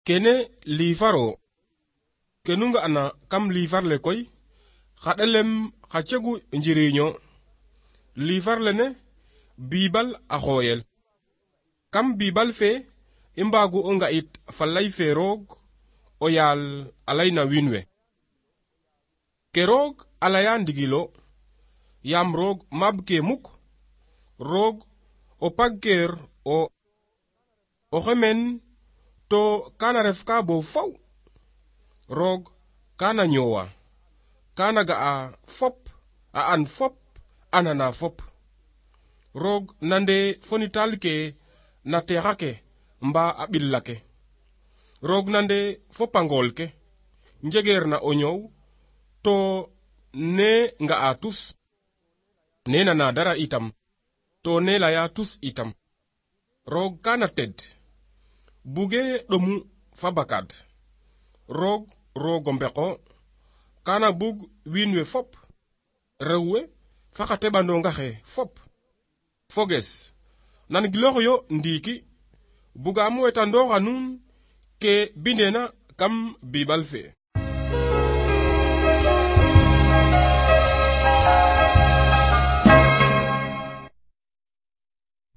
Kene livaro kenunga ana kam livar le koy xadelem xacegu njiriño livar lene bibal a xoyel kam bibal fe imbagu nga it falay fe roog o yaal alayna winwe ke roog alaya ndigilo yam roog mab ke muk roog o pagker o xemen to kana ref ka bo faw roog kana ñowa kana ga a fop a an fop anana fop roog nande fonital ke na texa ke mba a ɓilla ke roog nande fopangol ke njegeer na o ñow to ne nga a tus ne nana dara itam to ne leya tus itam roog kana ted buge ɗomu fa bakad roog o mbeko kana bug wiin we fop rewwe fa xa teɓandonga xe fop foges nan giloox yo ndiiki bugaam wetandooxa nuun ke bindena kam bibal fe